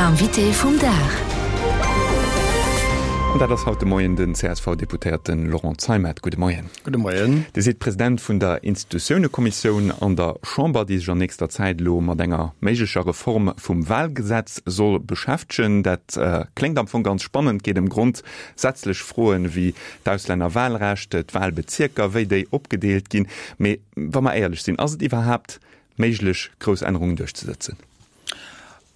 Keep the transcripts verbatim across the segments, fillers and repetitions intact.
Invité vum Dag. An dat ass haut de Moien den C S V-Deputéierten Laurent Zeimet. Gudde Moien. Gudde Moien. Dir sidd President vun der Institutiounekommissioun an der Chamber, déi sech an nächster Zäit elo mat enger méiglecher Reform vum Wahlgesetz soll beschäftegen. Dat kléngt am Fong ganz spannend, geet ëm grondsätzlech Froen wéi d'Auslännerwahlrecht, d'Wahlbezierker, wéi déi opgedeelt ginn. Mee wa mer éierlech sinn, ass et iwwerhaapt méiglech, grouss Ännerungen duerchzesetzen?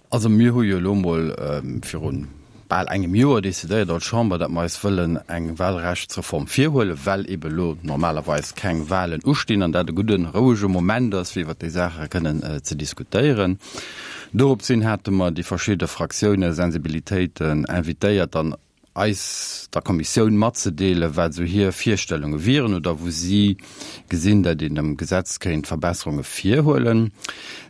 Also mir hu jo elo mol virun bal engem Joer decidéiert als Chamber, datt mer eis wëllen eng Wahlrechtsreform virhuelen, well ebe lo normalerweis keng Wahlen ustinn an dat e gudden, rouege Moment ass, fir iwwert déi Saache kënnen ze diskutéieren. Doropshin hate mer déi verschidde Fraktiounen, Sensibilitéiten invitéiert, dann eis, der Kommissioun, matzedeelen, wat esou hir Virstellunge wieren oder wou si gesinn, datt een am Gesetz kéint Verbesserunge virhuelen.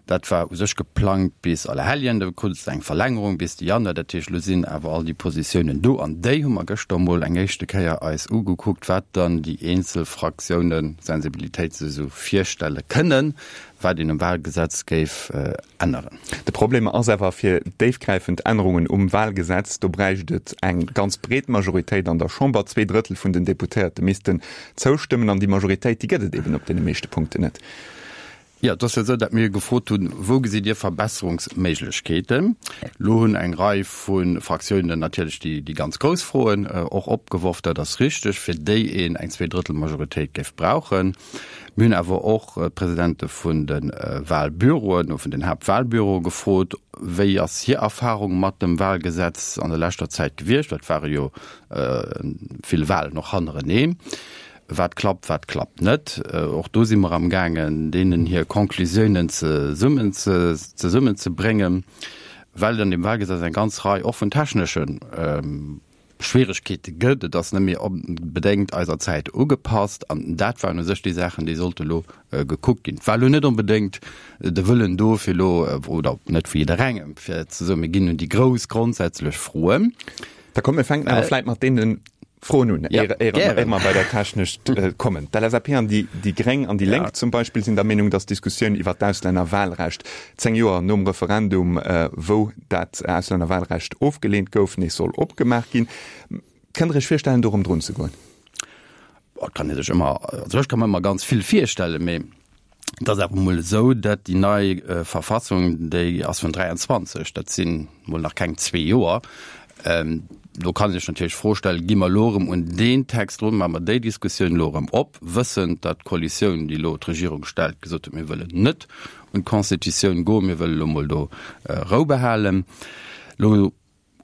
Dat war u sech geplangt bis Allerhelljen, da krut et eng Verlängerung bis de Januar. Dat heescht, elo sinn awer all déi Positiounen do an déi hu mer gëschter emol eng éischte Kéier eis ugekuckt, wat dann déi eenzel Fraktiounen, Sensibilitéite sech esou virstelle kënnen, wat een um Wahlgesetz géif änneren. De Problem ass awer, fir déifgräifend Ännerungen um Wahlgesetz, do bräicht et eng ganz breet Majoritéit an der Chamber. Zwee Drëttel vun den Deputéierte missten zoustëmmen an déi Majoritéit, déi gëtt et eben op deene meeschte Punkten net. Jo, et ass jo esou, datt mir gefrot hunn, Wou gesitt Dir Verbesserungsméiglechkeeten? Elo hunn eng Rei vu Fraktiounen natierlech déi, déi ganz grouss Froen och opgeworf, dat ass richteg, fir déi een eng Zweedrëttelmajoritéit géif brauchen. Mir hunn awer och d'Presidente vun de Wahlbüroen, vun den Haaptwahlbüroe gefrot, wéi ass hir Erfahrung mat dem Wahlgesetz an der leschter Zäit gewiescht? Dat ware jo vill Wahlen och hannereneen. Wat klappt, wat klappt net? Och do si mer amgaangen, deenen hir Conclusiounen zesummen zesummenzebréngen, well et an deem Wahlgesetz eng ganz Rei och vun technesche Schwieregkeete gëtt. Et ass net méi onbedéngt eiser Zäit ugepasst. An dat waren u sech déi Saachen, déi sollte elo gekuckt ginn. Et war elo net onbedéngt de Wëllen do, fir elo, oder net vu jidderengem, fir ze soen, mir ginn un déi grouss grondsätzlech Froen. Da komm, mir fänken awer vläicht mat deene Froen un, Ja, éier gären. éier mer bei der technesch kommen. D'L S A P an déi déi Gréng an déi Ja. Lénk zum Beispill sinn der Meenung, datt d'Diskussioun iwwer d'Auslännerwahlrecht zéng Joer nom Referendum, wou dat Auslännerwahlrecht ofgeleent gouf, nees soll opgemaach ginn. Kënnt Der Iech virstellen, do erëm drun ze goen? Et kann ee sech ëmmer, also ech ka mer ëmmer ganz vill virstellen, mee et ass awer emol esou, datt déi nei Verfassung, déi ass vun dräianzwanzeg, dat sinn emol nach keng zwee Joer. Do kann ee sech natierlech d'Fro stellen, Gi mer elo erëm un deen Text drun, maache mer déi Diskussioun elo erëm op, wëssend, datt d'Koalitioun, déi elo d'Regierung stellt, gesot huet, mir wëllen net un d'Constitutioun goen, mir wëllen elo emol do Rou behalen. Elo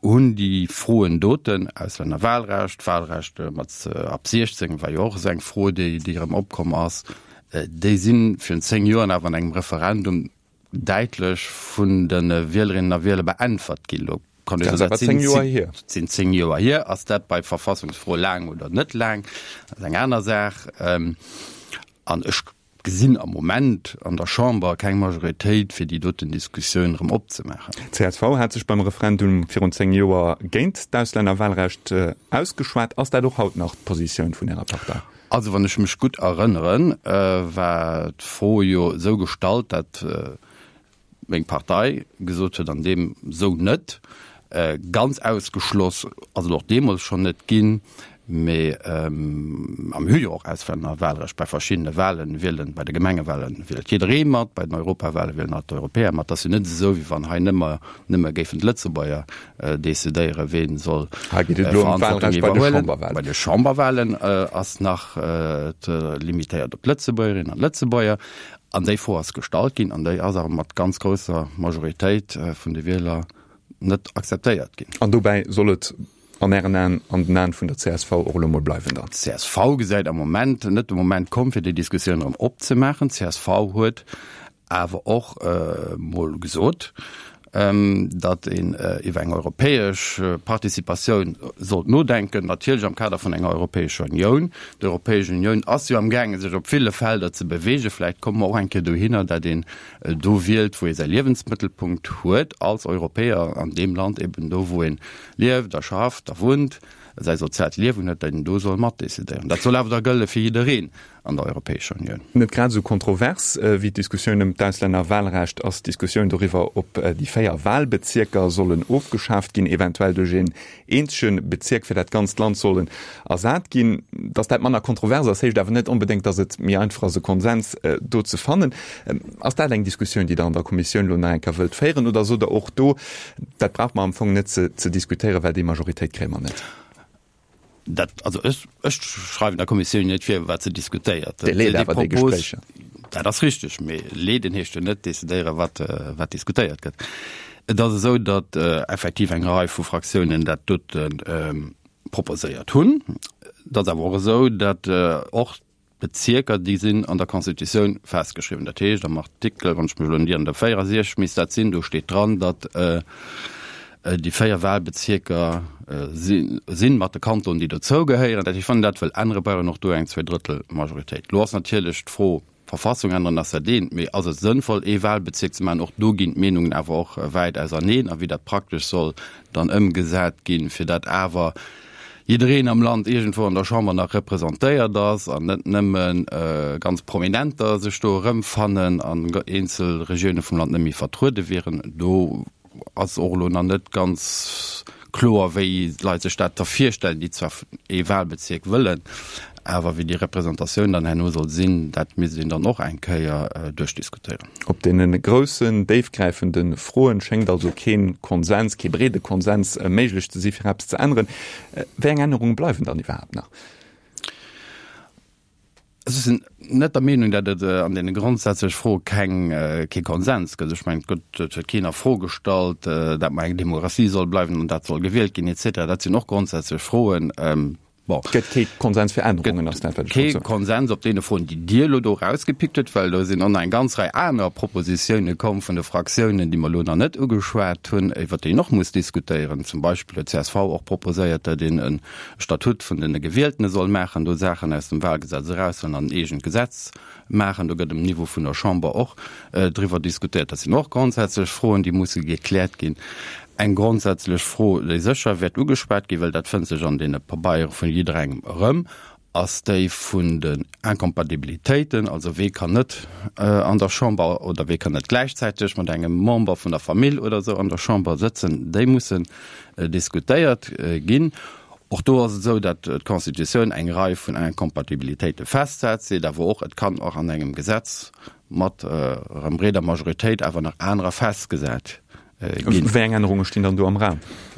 hunn déi Froen doten, Auslännerwahlrecht, Wahlrecht mat ab siechzéng war jo och esou eng Fro, déi erëm opkomm ass, déi si virun zéng Joer awer an engem Referendum däitlech vun de Wielerinnen a Wieler beäntwert ginn. Elo kann ee soen, dat sinn zéng Joer hier. Sinn zéng Joer hier. Ass dat bei Verfassungsfroe laang oder net laang? Dat ass eng aner Saach. An ech gesinn am Moment an der Chamber keng Majoritéit, fir déi doten Diskussioun erëm opzemaachen. D C S V hat sech beim Referendum virun zéng Joer géint d'Auslännerwahlrecht ausgeschwat. Ass dat och haut nach d'Positioun vun Ärer Partei? Also wann ech mech gutt erënneren, war d'Fro jo esou gestallt, datt meng Partei gesot huet, an deem esou net. Ganz ausgeschloss ass et och deemools schonn net ginn, mee a mir hu jo och Auslännerwahlrecht bei verschiddene Wahlen, wielen, bei de Gemengewahlen wielt jidderee mat, bei den Europawahlen wielen all d'Europäer mat. Et ass jo net esou, wéi wann hei nëmmer nëmme géifen d'Lëtzebuerger decidéieren, ween soll Hei geet et elo ëm Verantwortung d'Wahlrecht bei de iwwerhuelen. Chamberwahlen. Bei de Chamberwahlen ass nach et limitéiert op d'Lëtzebuergerinnen an d'Lëtzebuerger. An déi Fro ass gestallt ginn an déi ass awer mat ganz grousser Majoritéit vun de Wieler net akzeptéiert ginn. An dobäi soll et an Ären Aen, an den Aen vun der C S V och elo mol bleiwen dann? D C S V gesäit am Moment net de Moment komm, fir déi Diskussioun erëm opzemaachen. D C S V huet awer och mol gesot, datt een iwwer eng europäesch Participatioun sollt nodenken, natierlech am Kader vun enger Europäescher Unioun. D'Europäesch Unioun ass jo amgaangen, sech op ville Felder ze beweegen. Vläicht komme mer och eng Kéier dohinner, datt een do wielt, wou ee säi Liewensmëttelpunkt huet als Europäer, an deem Land eben do, wou ee lieft a schafft a wunnt. säi soziaalt Liewen huet, datt en do soll matdecidéieren. Dat soll awer da gëlle fir jiddereen an der Europäescher Unioun. Net grad esou kontrovers wéi d'Diskussioun ëm d'Auslännerwahlrecht ass d'Diskussioun doriwwer, ob déi véier Wahlbezierker sollen ofgeschaaft ginn, eventuell duerch een eenzege Bezierk fir dat ganzt Land sollen ersat ginn. Datt dat manner kontrovers ass, heescht awer net onbedéngt, datt et méi einfach ass e Konsens do ze fannen. Ass dat eng Diskussioun, déi Der an der Kommissioun elo nach eng Kéier wëllt féieren oder sot Der och do, dat brauche mer am Fong net ze diskutéieren, well déi Majoritéit kréie mer net? Dat, also ech, ech schreiwen der Kommissioun net vir, wat se diskutéiert. Dir leet awer déi Gespréicher. Dat ass richteg, mee leeden heescht jo net decidéieren, wat, wat diskutéiert gëtt. Et ass esou, datt effektiv eng Rei vu Fraktiounen dat dote proposéiert hunn. Et ass awer och esou, datt och d'Bezierker, déi sinn an der Constitutioun festgeschriwwen. Dat heescht, am Artikel, wann ech mech elo net ieren, der véierundsechzeg misst dat sinn, do steet dran, datt déi véier Wahlbezierker sinn, mat de Kantonen, déi dozou gehéieren. Dat heescht, wann een dat wëll änneren, brauch een och do eng Zweedrëttelmajoritéit. Elo ass natierlech d'Fro, D'Verfassung änneren ass dat eent, mee ass et sënnvoll, ee Wahlbezierk ze maachen? Och do ginn d'Meenungen awer och wäit auserneen. A wéi dat praktesch soll dann ëmgesat ginn, fir dat awer jiddereen am Land iergendwou an der Chamber nach representéiert ass an net nëmme ganz Prominenter sech do erëmfannen an eenzel Regioune vum Land net méi vertruede wieren, do ass och elo nach net ganz kloer, wéi d'Leit sech dat da virstellen, déi zwar ee Wahlbezierk wëllen, awer wéi déi Representatioun dann herno soll sinn, dat misst een dann och eng Kéier duerchdiskutéieren. Op deene groussen, déifgräifende Froen schéngt also kee Konsens, kee breede Konsens méiglech ze si fir eppes ze änneren. Wéi eng Ännerunge bleiwen dann iwwerhaapt nach? Ech sinn net der Meenung, datt et an deene grondsätzlech Froe keng, kee Konsens gëtt. Ech mengen, et gëtt, et huet keen a Fro gestallt, datt mer eng Demokratie soll bleiwen an dat soll gewielt ginn et cetera. Dat sinn och grondsätzlech Froen. Bon. Et gëtt kee Konsens fir Ännerungen, ass dat, wat ech wollt soen. Kee Konsens op deene Froen, déi Dir elo do erausgepickt hutt, well do sinn och nach eng ganz Rei aner Propositioune komm vun de Fraktiounen, déi mer elo nach net ugeschwat hunn, iwwert déi een och muss diskutéieren. Zum Beispill huet csv och proposéiert, datt een e Statut vun de Gewieltene soll maachen, do Saachen aus dem Wahlgesetz eraushuelen an en eegent Gesetz maachen. Do gëtt um Niveau vun der Chamber och driwwer diskutéiert. Dat sinn och grondsätzlech Froen, déi musse gekläert ginn. Eng grondsätzlech Fro, déi sécher wäert ugeschwat ginn, well dat fënnt sech an deene Pabeiere vun jidderengem erëm, ass déi vun den Incompatibilitéiten, also wee kann net an der Chamber oder wee kann net gläichzäiteg mat engem Member vun der Famill oder esou an der Chamber sëtzen, déi mussen diskutéiert ginn. Och do ass et esou, datt d'Constitutioun eng Rei vun Incompatibilitéite festsetzt, seet awer och, et kann och an engem Gesetz mat erëm breeder Majoritéit awer nach anerer festgesat ginn. Wéi eng Ännerunge stinn dann do am Raum?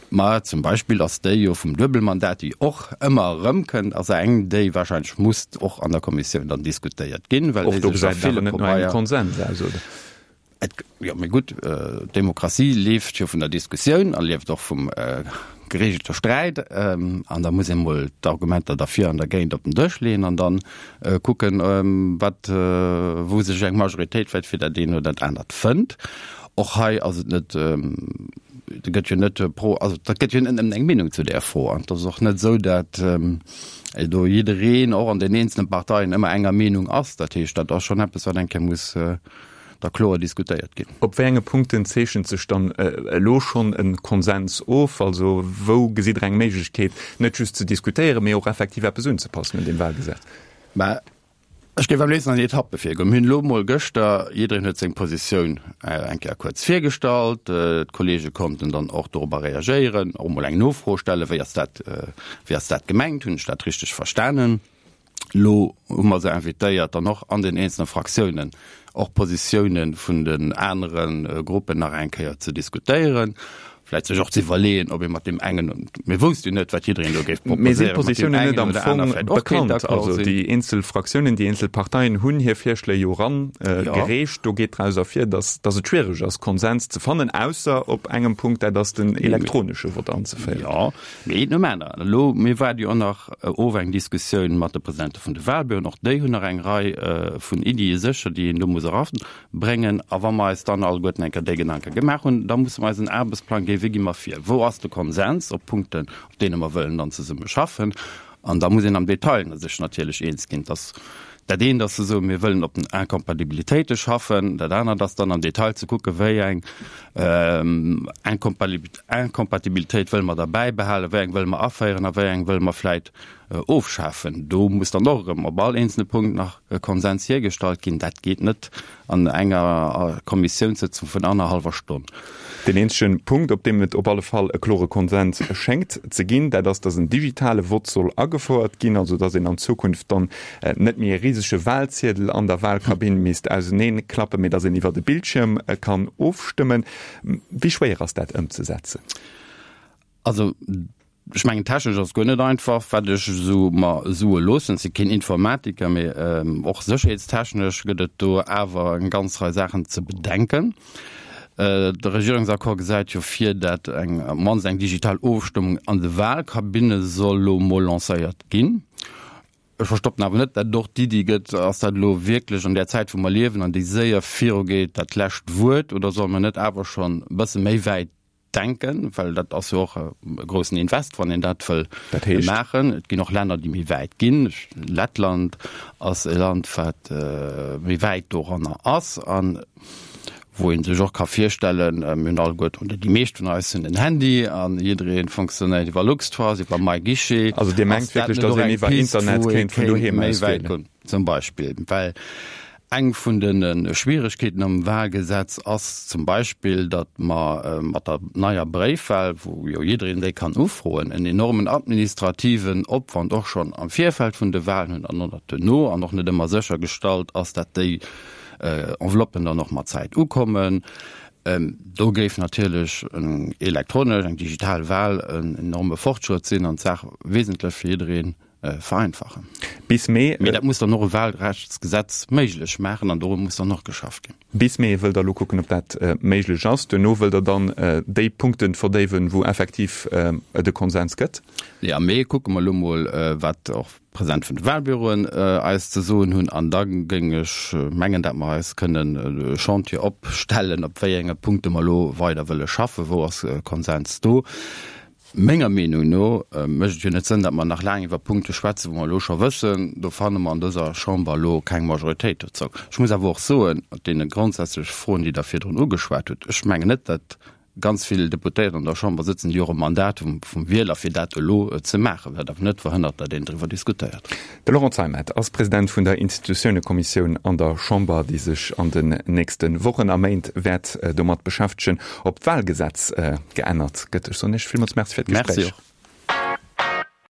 Ma zum Beispill ass déi jo vum Duebelmandat, déi och ëmmer erëmkënnt, ass eng, déi wahrscheinlech muss och an der Kommissioun dann diskutéiert ginn, well déi sech a ville Pabeier. Konsens aus, oder? Et, jo, mee gutt, d'Demokratie leeft jo vun der Diskussioun a lieft och vum geregelte Sträit. An da muss ee mol d'Argumenter derfir an dergéint op den Dësch leeën an dann kucken, wat, wou sech eng Majoritéit vläicht fir dat eent oder dat anert fënnt. Och hei ass et net, et gëtt jo net pro, also dat gëtt jo net nëmmen eng Meenung zu där Fro. An et ass och net esou, datt do jiddereen och an den eenzelne Parteien ëmmer enger Meenung ass. Dat heescht, dat ass schonn eppes, wat eng Kéier muss da kloer diskutéiert ginn. Op wéi enge Punkten zeechent sech dann elo schonn e Konsens of? Also wou gesitt Der eng Méiglechkeet, net just ze diskutéieren, mee och effektiv eppes unzepassen un deem Wahlgesetz? Mä Ech géif am léifsten an Etappe virgoen. Mir hunn elo emol gëschter, jiddereen huet seng Positioun eng Kéier kuerz virgestallt, d'Kollege konnten dann och dorobber reagéieren, och emol eng Nofro stellen, wéi ass dat, wéi ass dat gemengt, hunn ech dat richteg verstanen? Elo hu mer se invitéiert, dann och an den eenzelne Fraktiounen och Positioune vun den anere Gruppen nach eng Kéier ze diskutéieren. Vläicht sech och ze iwwerleeën, ob ee mat deem engen, mir wousste jo net, wat jiddereen do géif proposéieren, mat deem Positiounen net am Fong bekannt? Also déi eenzel Fraktiounen, déi eenzel Parteien hunn hir Virschléi jo eran gereecht. Do geet draus ervir, datt datt et schwiereg ass, Konsens ze fannen, ausser op engem Punkt, dat ass den elektronesche Vott anzeféieren. Jo, mee eent nom aneren. Elo, mir waarde jo och nach of eng Diskussioun mat de Presidente vun de Wahlbüroen. Och déi hunn nach eng Rei vun Iddie sécher, déi een do muss era Bréngen. A wa mer eis dann alleguerten eng Kéier déi Gedanke gemaach hunn, da musse mer eis en Aarbechtsplang ginn, wéi gi mer vir, wou ass de Konsens op Punkten, op deene mer wëllen dann zesumme schaffen. An da muss een am Detail sech natierlech eens ginn. Dass Dat eent ass ze soen, mir wëllen op den Incompatibilitéite schaffen, dat anert ass dann am Detail ze kucken, wéi eng Incompatibilitéit wëlle mer da bäibehalen, wéi eng wëlle mer aféieren a wéi eng wëlle mer vläit ofschafen. Do muss dann och erëm op all eenzelne Punkt nach e Konsens hiergestallt ginn. Dat geet net an enger Kommissiounssëtzung vun annerhallwer Stonn. Deen eenzege Punkt, op deem et op alle Fall e klore Konsens schéngt ze ginn, dat ass, datt en digitale Vott soll agefouert ginn, also datt een an Zukunft dann net méi e risege Wahlziedel an der Wahlkabinn misst auseneenklappen, mee datt een iwwert e Bildschierm kann ofstëmmen. Wéi schwéier ass dat ëmzesetzen? Also ech mengen, technesch ass et guer net einfach, wat ech esou mer soe loossen. Ech si keen Informatiker, mee och sécherheetstechnesch gëtt et do awer eng ganz Rei Saachen ze bedenken. De Regierungsaccord gesäit jo vir, dat eng, op d'mannst eng digital Ofstëmmung an de Wahlkabinne soll elo mol lancéiert ginn. Ech verstoppen awer net, dat et och d'Iddi gëtt, ass dat elo wierklech an där Zäit, wou mer liewen an déi séier virugeet, dat lescht Wuert oder solle mer net awer schonn e bësse méi wäit denken, well dat ass jo och e groussen Invest, wann een dat wëll maachen. Et ginn och Länner, déi méi wäit ginn. Lettland ass e Land, wat méi wäit doranner ass a wou ee sech och ka virstellen, mir hunn alleguerten, oder déi meescht vun eis hunn en Handy a jidderee fonctionnéiert iwwer LuxTrust, iwwer MyGuichet. Also Dir mengt wierklech, datt een iwwer Internet kéint vun doheem aus wielen? Zum Beispill, well Eng vun de Schwieregkeeten am Wahlgesetz ass zum Beispill, datt mer mat der neier Bréifwahl, wou jo jiddereen déi kann ufroen, en enormen administrativen Opwand och schonn am Virfeld vun de Wahlen hunn an och duerno an och net ëmmer séchergestallt ass, datt déi Enveloppen dann och mat Zäit ukommen. Do géif natierlech eng elektronesch, eng digital Wahl en enorme Fortschrëtt sinn an d'Saach wesentlech fir jiddereen vereinfachen. Bis Mee. Mee dat muss dann och e Wahlrechtsgesetz méiglech maachen an doru muss dann och geschafft ginn. Bis Mee wëllt Der elo kucken, ob dat méiglech ass. Duerno wëllt Der dann déi Punkte verdéiwen, wou effektiv et e Konsens gëtt? Nee, am Mee kucke mer elo mol, wat och d'Presidente vun de Wahlbüroen eis ze soen hunn. An da géing ech mengen, dat mer eis kënnen e Chantier opstellen, op wéi enge Punkte mer elo weider wëlle schaffen, wou ass Konsens do. Menger Meenung no mécht et jo net Sënn, datt mer nach laang iwwer Punkte schwätzen, wou mer elo scho wëssen, do fanne mer an dëser Chamber elo keng Majoritéit dozou. Ech muss awer och soen, op deene grondsätzleche Froen, déi Der virdrun ugeschwat hutt, ech mengen net, datt ganz vill Deputéiert an der Chamber sëtzen, déi och e Mandat hu vum Wieler, fir dat elo ze maachen, wat awer net verhënnert, datt een driwwer diskutéiert. De Laurent Zeimet ass President vun der Institutiounekommissioun an der Chamber, déi sech an den nächste Wochen a Méint wäert domat beschäftegen, ob d'Wahlgesetz geännert gëtt. Ech soen Iech villmools Merci fir d'Gespréich. Merci och.